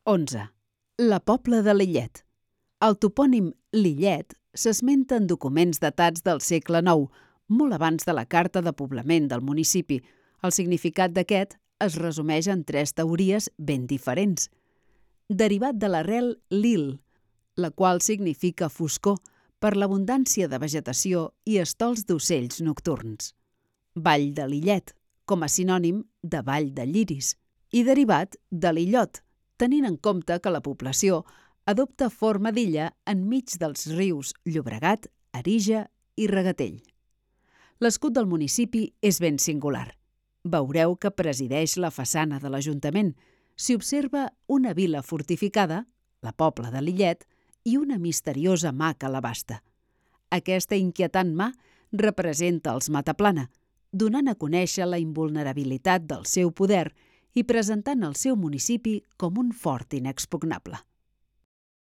11. La Pobla de Lillet. El topònim Lillet s'esmenta en documents datats del segle IX, molt abans de la carta de poblament del municipi. El significat d'aquest es resumeix en 3 teories ben diferents. Derivat de l'arrel lil, la qual significa foscor per l'abundància de vegetació i estols d'ocells nocturns. Vall de Lillet, com a sinònim de Vall de Lliris, i derivat de l'illot, tenint en compte que la població adopta forma d'illa enmig dels rius Llobregat, Arija i Regatell. L'escut del municipi és ben singular. Veureu que presideix la façana de l'Ajuntament. S'hi observa una vila fortificada, la Pobla de Lillet, i una misteriosa mà que l'abasta. Aquesta inquietant mà representa els Mataplana, donant a conèixer la invulnerabilitat del seu poder i presentant el seu municipi com un fort inexpugnable.